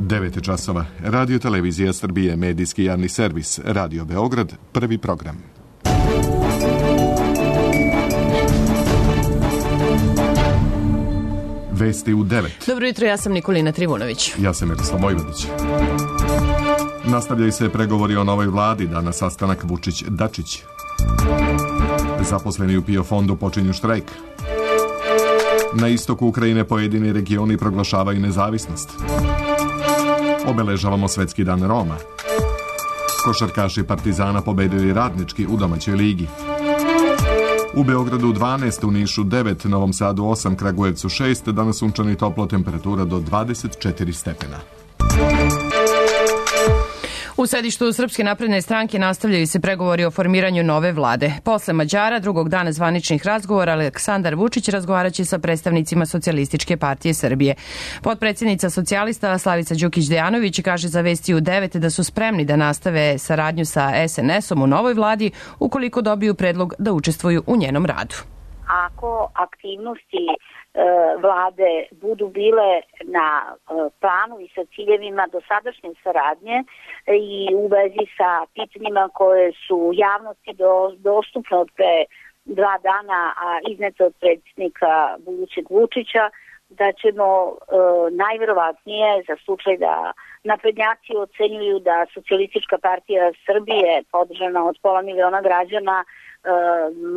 9 časova. Radio Televizija Srbije, medijski javni servis, Radio Beograd, prvi program. Vesti u 9. Dobro jutro, ja sam Nikolina Trivunović. Ja sam Miroslav Vojvodić. Nastavljaju se pregovori o novoj vladi, danas sastanak Vučić-Dačić. Zaposleni u PIO fondu počinju štrajk. Na istoku Ukrajine pojedini regioni proglašavaju nezavisnost. Obeležavamo Svetski dan Roma. Košarkaši Partizana pobedili Radnički u domaćoj ligi. U Beogradu 12, u Nišu 9, Novom Sadu 8, Kragujevcu 6, danas sunčano i toplo, temperatura do 24 stepena. U sedištu Srpske napredne stranke nastavljaju se pregovori o formiranju nove vlade. Posle Mađara, drugog dana zvaničnih razgovora, Aleksandar Vučić razgovaraće sa predstavnicima Socijalističke partije Srbije. Potpredsjednica socijalista Slavica Đukić-Dejanović kaže za Vesti u 9 da su spremni da nastave saradnju sa SNS-om u novoj vladi ukoliko dobiju predlog da učestvuju u njenom radu. Ako aktivnosti vlade budu bile na planu i sa ciljevima dosadašnje saradnje i u vezi sa pitanjima koje su javnosti dostupne od pre 2 dana, a iznete od predsjednika budućeg Vučića, da ćemo najverovatnije za slučaj da naprednjaci ocenjuju da Socijalistička partija Srbije, podržana od 500.000 građana,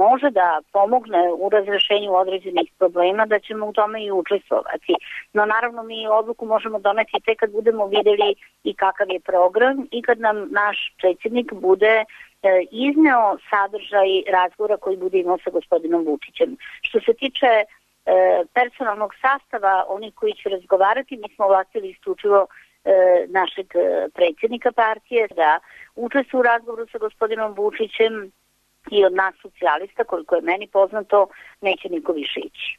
može da pomogne u razrešenju određenih problema, da ćemo u tome i učestvovati. No naravno mi odluku možemo doneti tek kad budemo videli i kakav je program i kad nam naš predsjednik bude izneo sadržaj razgovora koji bude imao sa gospodinom Vučićem. Što se tiče personalnog sastava, oni koji će razgovarati, mi smo ovlastili isključivo našeg predsjednika partije da učestvuje u razgovoru sa gospodinom Vučićem i od nas socijalista, koliko je meni poznato, neće niko više ići.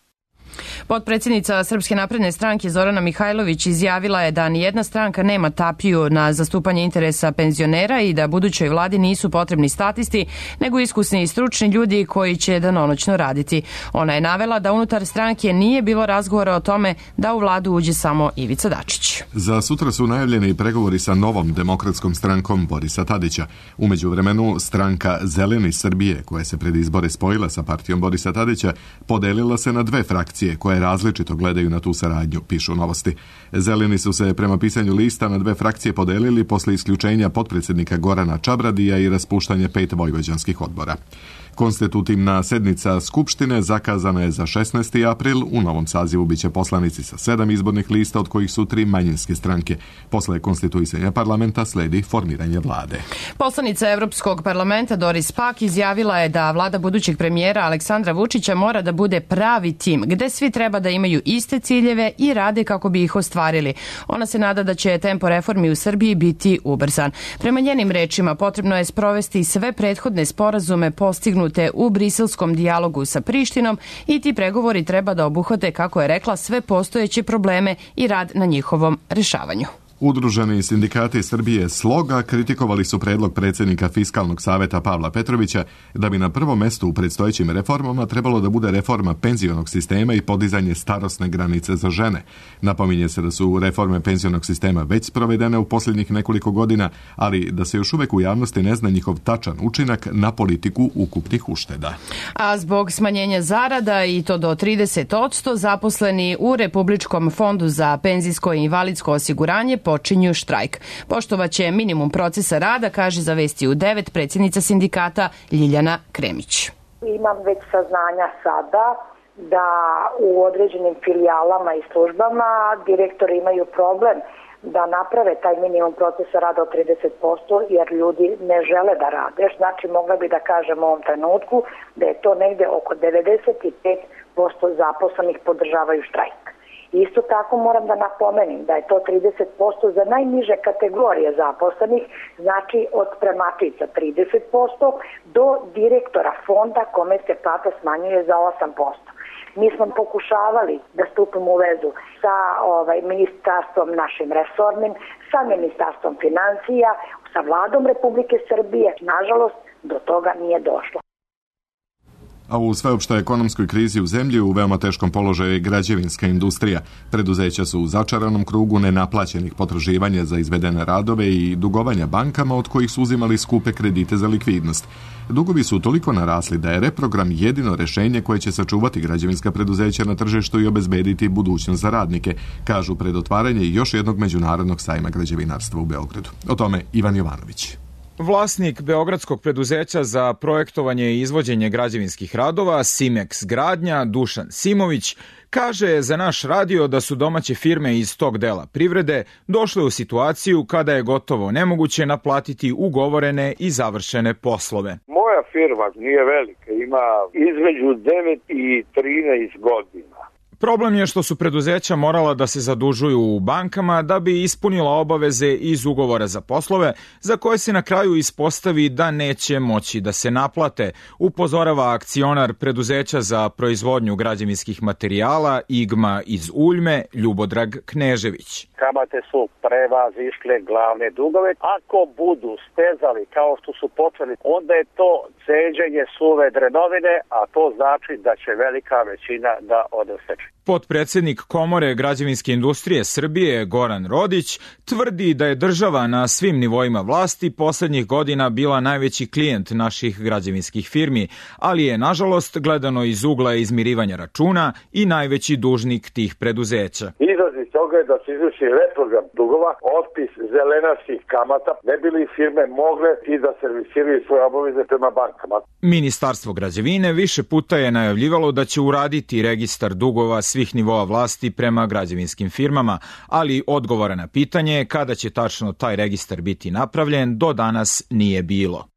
Potpredsjednica Srpske napredne stranke Zorana Mihajlović izjavila je da nijedna stranka nema tapiju na zastupanje interesa penzionera i da budućoj vladi nisu potrebni statisti, nego iskusni i stručni ljudi koji će danonoćno raditi. Ona je navela da unutar stranke nije bilo razgovora o tome da u vladu uđe samo Ivica Dačić. Za sutra su najavljeni pregovori sa novom demokratskom strankom Borisa Tadića. U međuvremenu stranka Zeleni Srbije, koja se pred izbore spojila sa partijom Borisa Tadića, podelila se na 2 frakcije koje različito gledaju na tu saradnju, pišu Novosti. Zeleni su se prema pisanju lista na 2 frakcije podelili posle isključenja potpredsjednika Gorana Čabradija i raspuštanje 5 vojvođanskih odbora. Konstitutivna sednica Skupštine zakazana je za 16. april. U novom sazivu biće poslanici sa 7 izbornih lista, od kojih su 3 manjinske stranke. Posle konstituisanja parlamenta sledi formiranje vlade. Poslanica Evropskog parlamenta Doris Pack izjavila je da vlada budućeg premijera Aleksandra Vučića mora da bude pravi tim, gde svi treba da imaju iste ciljeve i rade kako bi ih ostvarili. Ona se nada da će tempo reformi u Srbiji biti ubrzan. Prema njenim rečima potrebno je sprovesti sve prethodne sporazume postignute u briselskom dijalogu sa Prištinom i ti pregovori treba da obuhvate, kako je rekla, sve postojeće probleme i rad na njihovom rešavanju. Udruženi sindikati Srbije Sloga kritikovali su predlog predsjednika Fiskalnog saveta Pavla Petrovića da bi na prvom mestu u predstojećim reformama trebalo da bude reforma penzionog sistema i podizanje starosne granice za žene. Napominje se da su reforme penzionog sistema već sprovedene u posljednjih nekoliko godina, ali da se još uvek u javnosti ne zna njihov tačan učinak na politiku ukupnih ušteda. A zbog smanjenja zarada i to do 30%, zaposleni u Republičkom fondu za penzijsko i invalidsko osiguranje počinju štrajk. Poštovaće minimum procesa rada, kaže za Vesti u 9 predsjednica sindikata Ljiljana Kremić. Imam već saznanja sada da u određenim filijalama i službama direktori imaju problem da naprave taj minimum procesa rada od 30%, jer ljudi ne žele da rade. Znači, mogla bi da kažem u ovom trenutku da je to negde oko 95% zaposlenih podržavaju štrajk. Isto tako moram da napomenem da je to 30% za najniže kategorije zaposlenih, znači od spremačica 30% do direktora fonda kome se plata smanjuje za 8%. Mi smo pokušavali da stupimo u vezu sa ministarstvom našim resornim, sa ministarstvom financija, sa vladom Republike Srbije. Nažalost, do toga nije došlo. A u sveopštoj ekonomskoj krizi u zemlji u veoma teškom položaju je građevinska industrija. Preduzeća su u začaranom krugu nenaplaćenih potraživanja za izvedene radove i dugovanja bankama od kojih su uzimali skupe kredite za likvidnost. Dugovi su toliko narasli da je reprogram jedino rešenje koje će sačuvati građevinska preduzeća na tržištu i obezbediti budućnost za radnike, kažu pred otvaranje još jednog međunarodnog sajma građevinarstva u Beogradu. O tome Ivan Jovanović. Vlasnik beogradskog preduzeća za projektovanje i izvođenje građevinskih radova Simex Gradnja, Dušan Simović, kaže za naš radio da su domaće firme iz tog dela privrede došle u situaciju kada je gotovo nemoguće naplatiti ugovorene i završene poslove. Moja firma nije velika, ima između 9 i 13 godina. Problem je što su preduzeća morala da se zadužuju u bankama da bi ispunila obaveze iz ugovora za poslove, za koje se na kraju ispostavi da neće moći da se naplate, upozorava akcionar preduzeća za proizvodnju građevinskih materijala IGMA iz Uljme, Ljubodrag Knežević. Kamate su prevazišle glavne dugove. Ako budu stezali kao što su počeli, onda je to ceđenje suve drenovine, a to znači da će velika većina da odeseče. Potpredsednik Komore građevinske industrije Srbije Goran Rodić tvrdi da je država na svim nivoima vlasti poslednjih godina bila najveći klijent naših građevinskih firmi, ali je nažalost gledano iz ugla izmirivanja računa i najveći dužnik tih preduzeća. Izlaz iz toga je da se izvrši reprogram dugova, otpis zelenarskih kamata, ne bi li firme mogle i da servisiraju svoje obaveze prema bankama. Ministarstvo građevine više puta je najavljivalo da će uraditi registar dugova svih nivoa vlasti prema građevinskim firmama, ali odgovora na pitanje kada će tačno taj registar biti napravljen do danas nije bilo.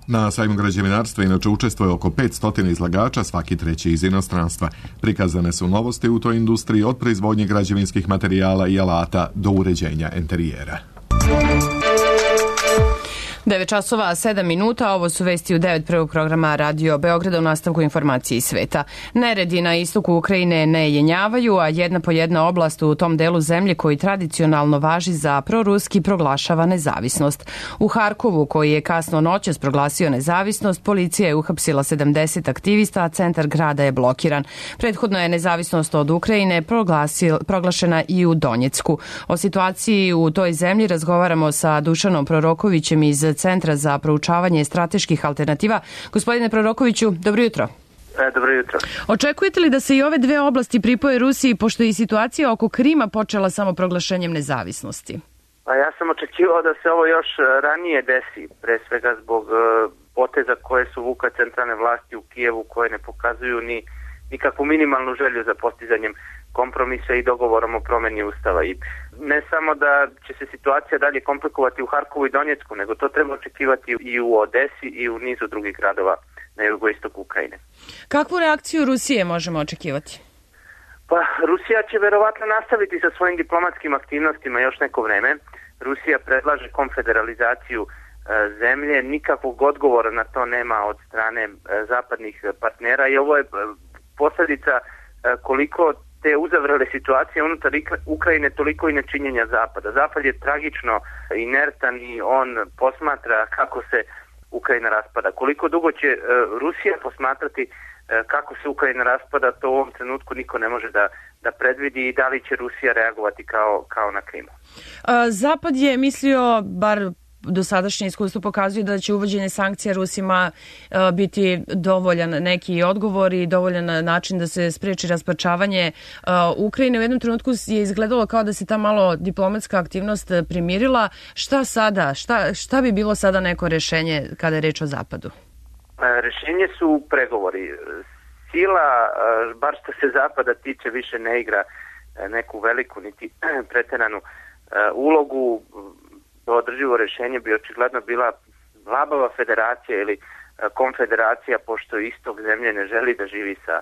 Na sajmu građevinarstva inače učestvuje oko 500 izlagača, svaki treći iz inostranstva. Prikazane su novosti u toj industriji od proizvodnje građevinskih materijala i alata do uređenja enterijera. 9 časova, 7 minuta, ovo su vesti u 9 prvog programa Radio Beograda u nastavku informacije iz sveta. Neredi na istoku Ukrajine ne jenjavaju, a jedna po jedna oblast u tom delu zemlje koji tradicionalno važi za proruski proglašava nezavisnost. U Harkovu, koji je kasno noćas proglasio nezavisnost, policija je uhapsila 70 aktivista, a centar grada je blokiran. Prethodno je nezavisnost od Ukrajine proglašena i u Donjecku. O situaciji u toj zemlji razgovaramo sa Dušanom Prorokovićem iz Centra za proučavanje strateških alternativa. Gospodine Prorokoviću, dobro jutro. Dobro jutro. Očekujete li da se i ove dve oblasti pripoje Rusiji, pošto je i situacija oko Krima počela samo proglašenjem nezavisnosti? Pa ja sam očekivao da se ovo još ranije desi, pre svega zbog poteza koje su vuka centralne vlasti u Kijevu, koje ne pokazuju ni nikakvu minimalnu želju za postizanjem kompromisa i dogovorom o promeni ustava. I ne samo da će se situacija dalje komplikovati u Harkovu i Donjecku, nego to treba očekivati i u Odesi i u nizu drugih gradova na jugoistoku Ukrajine. Kakvu reakciju Rusije možemo očekivati? Pa Rusija će verovatno nastaviti sa svojim diplomatskim aktivnostima još neko vreme. Rusija predlaže konfederalizaciju zemlje, nikakvog odgovora na to nema od strane zapadnih partnera i ovo je posljedica koliko te uzavrele situacije unutar Ukrajine, toliko i nečinjenja Zapada. Zapad je tragično inertan i on posmatra kako se Ukrajina raspada. Koliko dugo će Rusija posmatrati kako se Ukrajina raspada, to u ovom trenutku niko ne može da predvidi i da li će Rusija reagovati kao na Krimu. Zapad je mislio, bar dosadašnje iskustvo pokazuje, da će uvođenje sankcija Rusima biti dovoljan neki odgovor i dovoljan način da se spreči rasparčavanje Ukrajine. U jednom trenutku je izgledalo kao da se ta malo diplomatska aktivnost primirila. Šta sada? Šta bi bilo sada neko rešenje kada je reč o Zapadu? Rešenje su pregovori. Sila, bar što se Zapada tiče, više ne igra neku veliku niti preteranu ulogu. Održivo rešenje bi očigledno bila labava federacija ili konfederacija, pošto istok zemlje ne želi da živi sa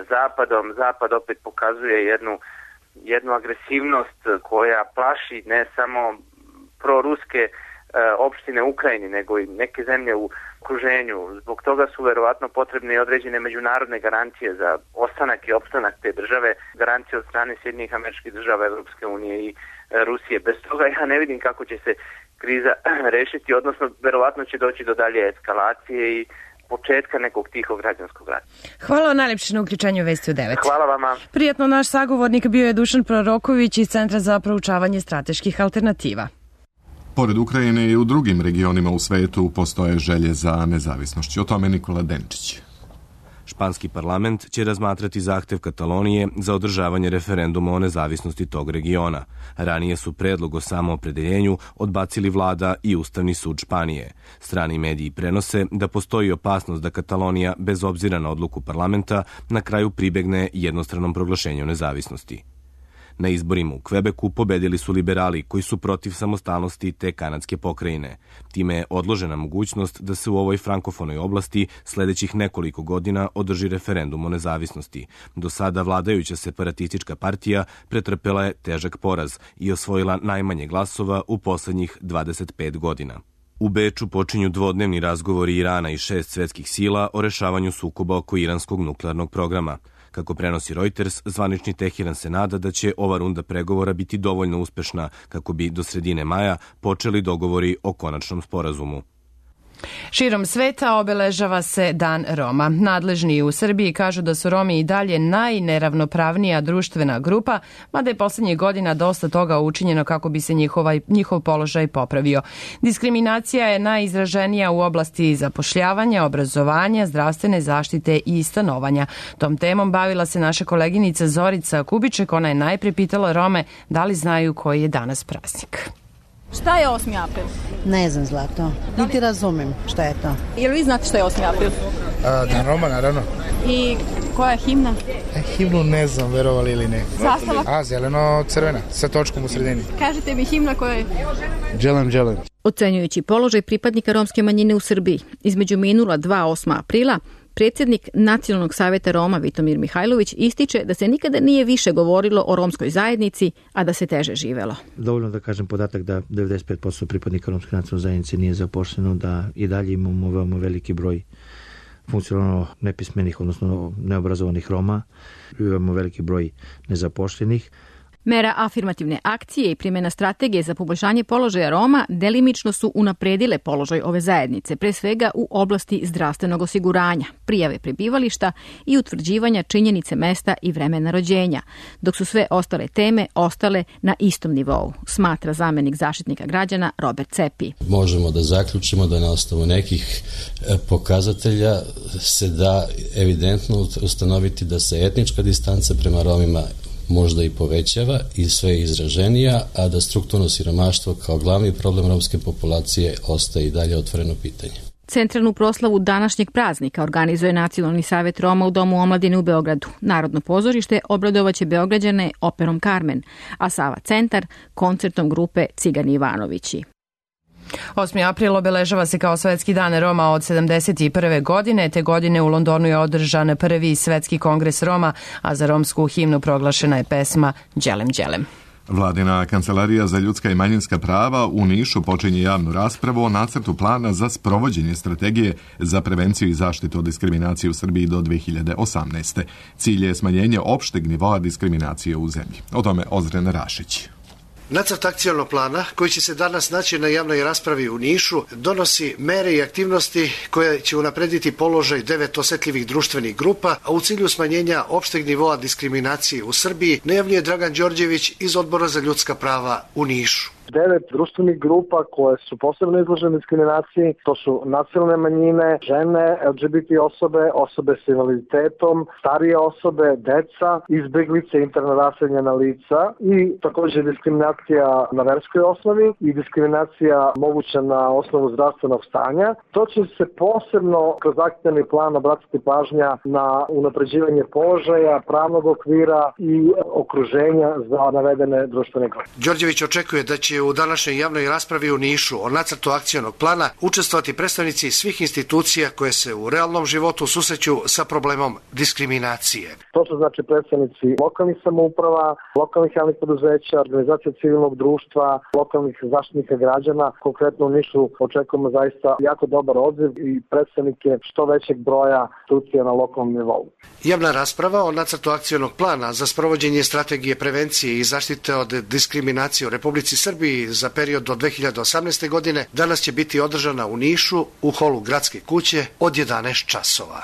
Zapadom. Zapad opet pokazuje jednu agresivnost koja plaši ne samo proruske opštine u Ukrajini, nego i neke zemlje u okruženju. Zbog toga su verovatno potrebne i određene međunarodne garancije za ostanak i opstanak te države, garancije od strane Sjedinjenih Američkih Država, Evropske unije i Rusije. Bez toga ja ne vidim kako će se kriza rešiti, odnosno verovatno će doći do dalje eskalacije i početka nekog tihog građanskog rata. Hvala najlepše na uključenju Vesti u 9. Hvala vama. Prijatno, naš sagovornik bio je Dušan Proroković iz Centra za proučavanje strateških alternativa. Pored Ukrajine i u drugim regionima u svetu postoje želje za nezavisnošću. O tome Nikola Denčić. Španski parlament će razmatrati zahtev Katalonije za održavanje referenduma o nezavisnosti tog regiona. Ranije su predlog o samoopredeljenju odbacili vlada i Ustavni sud Španije. Strani mediji prenose da postoji opasnost da Katalonija, bez obzira na odluku parlamenta, na kraju pribegne jednostranom proglašenju nezavisnosti. Na izborima u Kvebeku pobedili su liberali koji su protiv samostalnosti te kanadske pokrajine. Time je odložena mogućnost da se u ovoj frankofonoj oblasti sledećih nekoliko godina održi referendum o nezavisnosti. Do sada vladajuća separatistička partija pretrpela je težak poraz i osvojila najmanje glasova u poslednjih 25 godina. U Beču počinju dvodnevni razgovori Irana i 6 svetskih sila o rešavanju sukoba oko iranskog nuklearnog programa. Kako prenosi Reuters, zvanični Teheran se nada da će ova runda pregovora biti dovoljno uspešna kako bi do sredine maja počeli dogovori o konačnom sporazumu. Širom sveta obeležava se Dan Roma. Nadležni u Srbiji kažu da su Romi i dalje najneravnopravnija društvena grupa, mada je poslednjih godina dosta toga učinjeno kako bi se njihov položaj popravio. Diskriminacija je najizraženija u oblasti zapošljavanja, obrazovanja, zdravstvene zaštite i stanovanja. Tom temom bavila se naša koleginica Zorica Kubiček. Ona je najpre pitala Rome da li znaju koji je danas praznik. Šta je 8. april? Ne znam, Zlato. Niti razumem šta je to. Jel vi znate šta je 8. april? Dan Roma, naravno. I koja je himna? Himnu ne znam, verovali ili ne. Zastava? Zeleno-crvena, sa točkom u sredini. Kažite mi himna koja je? Dželem. Ocenjujući položaj pripadnika romske manjine u Srbiji, između minula 8. aprila, predsjednik Nacionalnog savjeta Roma Vitomir Mihajlović ističe da se nikada nije više govorilo o romskoj zajednici, a da se teže živelo. Dovoljno da kažem podatak da 95% pripadnika romske nacionalne zajednice nije zaposleno, da i dalje imamo veoma veliki broj funkcionalno nepismenih, odnosno neobrazovanih Roma, imamo veliki broj nezaposlenih. Mera afirmativne akcije i primjena strategije za poboljšanje položaja Roma delimično su unapredile položaj ove zajednice, pre svega u oblasti zdravstvenog osiguranja, prijave prebivališta i utvrđivanja činjenice mesta i vremena rođenja, dok su sve ostale teme ostale na istom nivou, smatra zamenik zaštitnika građana Robert Cepi. Možemo da zaključimo da na osnovu nekih pokazatelja se da evidentno ustanoviti da se etnička distanca prema Romima možda i povećava i sve izraženija, a da strukturno siromaštvo kao glavni problem romske populacije ostaje i dalje otvoreno pitanje. Centralnu proslavu današnjeg praznika organizuje Nacionalni savjet Roma u Domu omladine u Beogradu. Narodno pozorište obradovaće Beograđane operom Carmen, a Sava centar koncertom grupe Cigani Ivanovići. 8. april obeležava se kao Svetski dan Roma od 71. godine. Te godine u Londonu je održan prvi Svetski kongres Roma, a za romsku himnu proglašena je pesma Đelem Đelem. Vladina kancelarija za ljudska i manjinska prava u Nišu počinje javnu raspravu o nacrtu plana za sprovođenje strategije za prevenciju i zaštitu od diskriminacije u Srbiji do 2018. Cilj je smanjenje opšteg nivoa diskriminacije u zemlji. O tome Ozren Rašić. Nacrt akcionog plana, koji će se danas naći na javnoj raspravi u Nišu, donosi mere i aktivnosti koje će unaprediti položaj 9 osetljivih društvenih grupa, a u cilju smanjenja opšteg nivoa diskriminacije u Srbiji, najavljuje Dragan Đorđević iz Odbora za ljudska prava u Nišu. 9 društvenih grupa koje su posebno izložene diskriminaciji, to su nacionalne manjine, žene, LGBT osobe, osobe s invaliditetom, starije osobe, deca, izbeglice, interno raseljena lica i također diskriminacija na verskoj osnovi i diskriminacija moguća na osnovu zdravstvenog stanja. To će se posebno kroz akcioni plan obratiti pažnja na unapređivanje položaja, pravnog okvira i okruženja za navedene društvene grupe. Đorđević očekuje da će u današnjoj javnoj raspravi u Nišu o nacrtu akcionog plana učestvovati predstavnici svih institucija koje se u realnom životu susreću sa problemom diskriminacije. To su znači predstavnici lokalnih samouprava, lokalnih javnih preduzeća, organizacija civilnog društva, lokalnih zaštitnika građana. Konkretno u Nišu očekujemo zaista jako dobar odziv i predstavnike što većeg broja institucija na lokalnom nivou. Javna rasprava o nacrtu akcionog plana za sprovođenje strategije prevencije i zaštite od diskriminacije u Republici Srbiji rugbi za period do 2018. godine danas će biti održana u Nišu u holu Gradske kuće od 11 časova.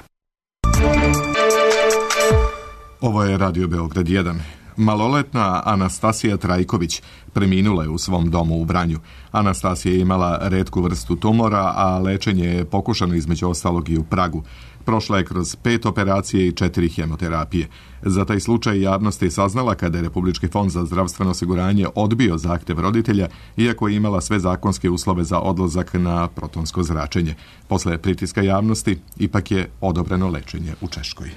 Ovo je Radio Beograd 1. Maloletna Anastasija Trajković preminula je u svom domu u Vranju. Anastasija je imala retku vrstu tumora, a lečenje je pokušano između ostalog i u Pragu. Prošla je kroz 5 operacije i 4 hemoterapije. Za taj slučaj javnost je saznala kada je Republički fond za zdravstveno osiguranje odbio zahtev roditelja, iako je imala sve zakonske uslove za odlazak na protonsko zračenje. Posle pritiska javnosti, ipak je odobreno lečenje u Češkoj.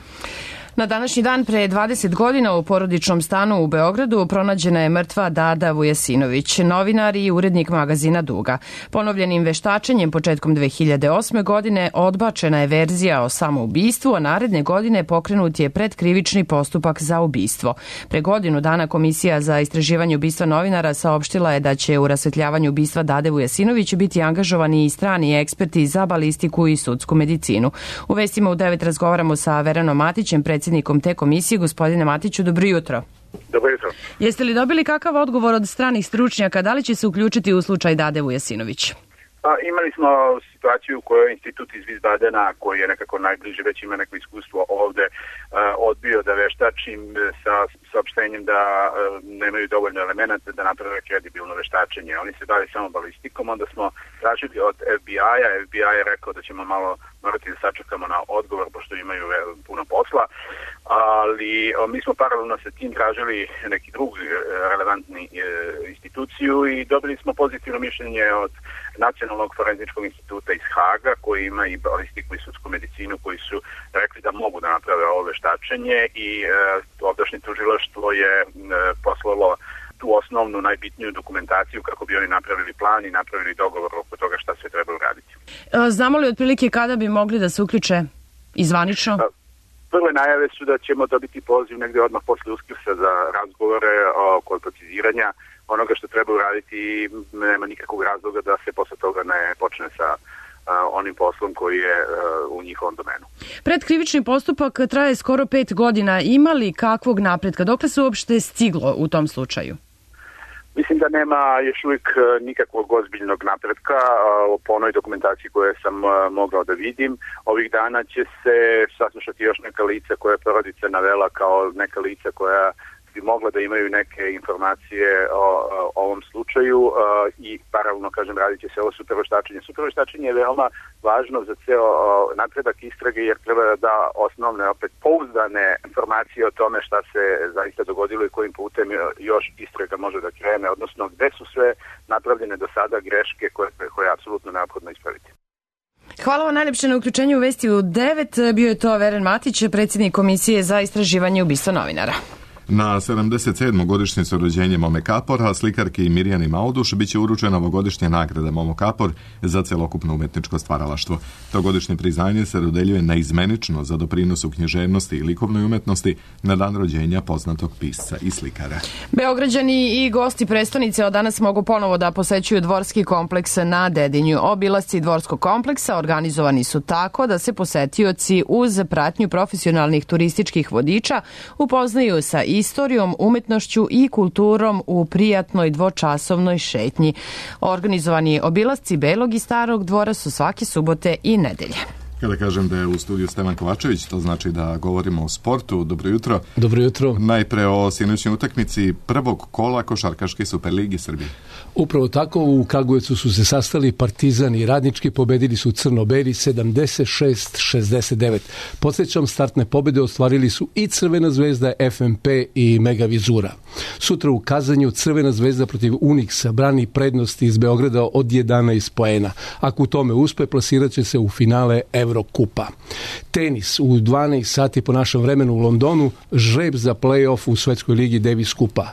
Na današnji dan pre 20 godina u porodičnom stanu u Beogradu pronađena je mrtva Dada Vujasinović, novinar i urednik magazina Duga. Ponovljenim veštačenjem početkom 2008. godine odbačena je verzija o samoubistvu, a naredne godine pokrenut je predkrivični postupak za ubistvo. Pre godinu dana Komisija za istraživanje ubistva novinara saopštila je da će u rasvetljavanju ubistva Dade Vujasinović biti angažovani i strani eksperti za balistiku i sudsku medicinu. U vestima u 9 razgovaramo sa Verenom Matićem, predsjednikom te komisije. Gospodine Matiću, dobro jutro. Dobro jutro. Jeste li dobili kakav odgovor od stranih stručnjaka, da li će se uključiti u slučaj Dade Vujasinović? Imali smo situaciju u kojoj institut iz Wiesbadena, koji je nekako najbliže, već ima neko iskustvo ovde, odbio da veštačim sa saopštenjem da nemaju dovoljno elemenata da naprave kredibilno veštačenje. Oni se bave samo balistikom, onda smo tražili od FBI-a. FBI je rekao da ćemo malo morati da sačekamo na odgovor, pošto imaju puno posla, ali mi smo paralelno sa tim tražili neki drugi relevantni instituciju i dobili smo pozitivno mišljenje od Nacionalnog forenzičkog instituta iz Haga, koji ima i balistiku i sudsku medicinu, koji su rekli da mogu da naprave ovo veštačenje i ovdašnje tužilaštvo je poslalo tu osnovnu, najbitniju dokumentaciju kako bi oni napravili plan i napravili dogovor oko toga šta sve treba uraditi. Znamo li otprilike kada bi mogli da se uključe izvanično? Prve najave su da ćemo dobiti poziv negde odmah posle Uskrsa za razgovore oko preciziranja onoga što treba uraditi i nema nikakvog razloga da se posle toga ne počne sa onim poslom koji je u njihovom domenu. Predkrivični postupak traje skoro 5 godina. Ima li kakvog napretka? Dokle se uopšte stiglo u tom slučaju? Mislim da nema još uvijek nikakvog ozbiljnog napretka po onoj dokumentaciji koje sam mogao da vidim. Ovih dana će se saslušati još neka lica koje je porodica navela kao neka lica koja bi mogla da imaju neke informacije o ovom slučaju i paralelno, kažem, radit će se ovo superveštačenje. Superveštačenje je veoma važno za ceo napredak istrage jer treba da da osnovne, opet pouzdane informacije o tome šta se zaista dogodilo i kojim putem još istraga može da krene, odnosno gde su sve napravljene do sada greške koje je apsolutno neophodno ispraviti. Hvala vam najljepše na uključenju u Vesti u 9. Bio je to Veren Matić, predsjednik Komisije za istraživanje ubistva novinara. Na 77. godišnjicu rođenja Momo Kapora, slikarki Mirjani Mauduš, biće uručena ovogodišnja nagrada Momo Kapor za celokupno umetničko stvaralaštvo. To godišnje priznanje se dodeljuje naizmenično za doprinos u književnosti i likovnoj umetnosti na dan rođenja poznatog pisca i slikara. Beograđani i gosti prestonice od danas mogu ponovo da posećuju dvorski kompleks na Dedinju. Obilasci dvorskog kompleksa organizovani su tako da se posetioci uz pratnju profesionalnih turističkih vodiča upoznaju sa istorijom, umetnošću i kulturom u prijatnoj dvočasovnoj šetnji. Organizovani obilasci Belog i Starog dvora su svake subote i nedelje. Kada kažem da je u studiju Stevan Kovačević, to znači da govorimo o sportu. Dobro jutro. Dobro jutro. Najpre o sinoćnoj utakmici prvog kola Košarkaške Superligi Srbije. Upravo tako, u Kragujevcu su se sastali Partizan i Radnički, pobedili su crno-beli 76-69. Podsjećam, startne pobede ostvarili su i Crvena zvezda, FNP i Mega Vizura. Sutra u Kazanju Crvena zvezda protiv Uniksa brani prednosti iz Beograda od 11 poena. Ako u tome uspe, plasirat će se u finale Evrokupa. Tenis u 12 sati po našem vremenu u Londonu, žreb za play-off u Svetskoj ligi Davis Kupa.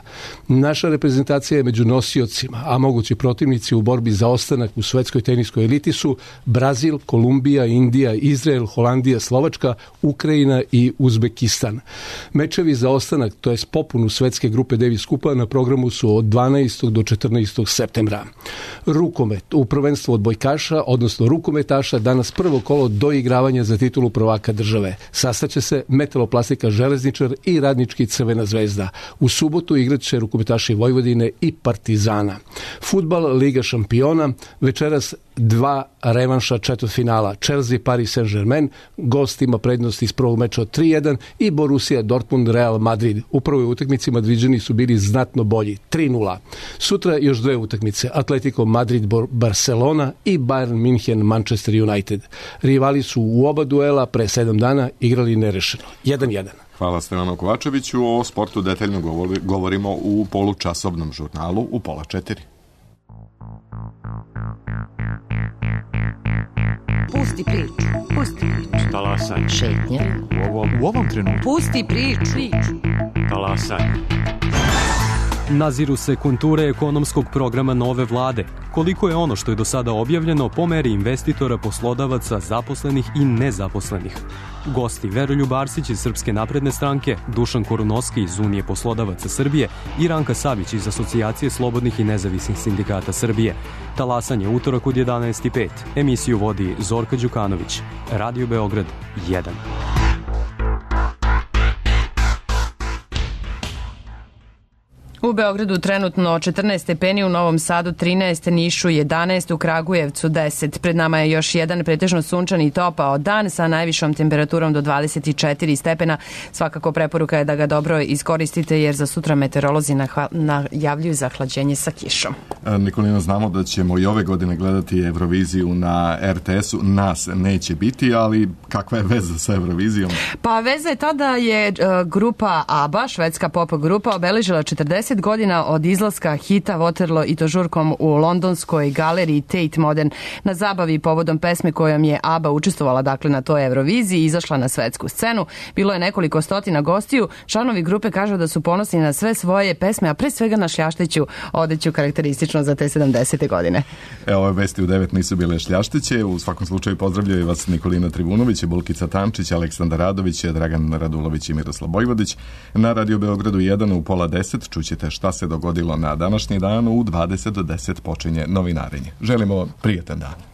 Naša reprezentacija je među nosiocima, a mogući protivnici u borbi za ostanak u svetskoj teniskoj eliti su Brazil, Kolumbija, Indija, Izrael, Holandija, Slovačka, Ukrajina i Uzbekistan. Mečevi za ostanak, to jest popunu svetske grupe Davis Kupa, na programu su od 12. do 14. septembra. Rukomet u prvenstvu odbojkaša, odnosno rukometaša, danas prvo kolo do doigravanja za titulu prvaka države. Sastaće se Metaloplastika Železničar i Radnički Crvena zvezda. U subotu igraće rukometaši Vojvodine i Partizana. Fudbal, Liga šampiona, večeras 2 revanša četvrtfinala. Chelsea, Paris Saint-Germain, gost ima prednost iz prvog meča od 3-1 i Borussia Dortmund, Real Madrid. U prvoj utakmici Madriđani su bili znatno bolji, 3-0. Sutra još 2 utakmice, Atletico Madrid, Barcelona i Bayern München, Manchester United. Rivali su u oba duela pre 7 dana igrali nerešeno, 1-1. Hvala Stevanu Kovačeviću. O sportu detaljno govorimo u polučasovnom žurnalu u 3:30. Pusti priču. Talasaj. Šetnja. U ovom trenutku. Pusti priču. Talasaj. Naziru se konture ekonomskog programa nove vlade. Koliko je ono što je do sada objavljeno po meri investitora, poslodavaca, zaposlenih i nezaposlenih. Gosti Veroljub Arsić iz Srpske napredne stranke, Dušan Korunoski iz Unije poslodavaca Srbije i Ranka Savić iz Asocijacije slobodnih i nezavisnih sindikata Srbije. Talasanje utorak od 11:05. Emisiju vodi Zorka Đukanović. Radio Beograd 1. U Beogradu trenutno 14 stepeni, u Novom Sadu 13, Nišu 11, u Kragujevcu 10. Pred nama je još jedan pretežno sunčan i topao dan sa najvišom temperaturom do 24 stepena. Svakako preporuka je da ga dobro iskoristite jer za sutra meteorolozi najavljuju zahlađenje sa kišom. Nikolina, znamo da ćemo i ove godine gledati Euroviziju na RTS-u. Nas neće biti, ali kakva je veza sa Eurovizijom? Pa veza je ta da je grupa ABBA, švedska pop grupa, obeležila 40 godina od izlaska hita Waterloo i to žurkom u londonskoj galeriji Tate Modern. Na zabavi povodom pesme kojom je ABBA učestvovala dakle na toj Euroviziji i izašla na svetsku scenu. Bilo je nekoliko stotina gostiju. Članovi grupe kažu da su ponosni na sve svoje pesme, a pre svega na šljašteću odeću karakteristično za te 70. godine. Ove vesti u 9 nisu bile šljašteće. U svakom slučaju pozdravljaju vas Nikolina Trivunović, Bulkica Tamčić, Aleksandar Radović, Dragan Radulović i Miroslav Bojvodić. Na Radio Beogradu 1 u 9:30 čućete šta se dogodilo na današnji dan. U 20 do 10 počinje novinarenje. Želimo prijatan dan.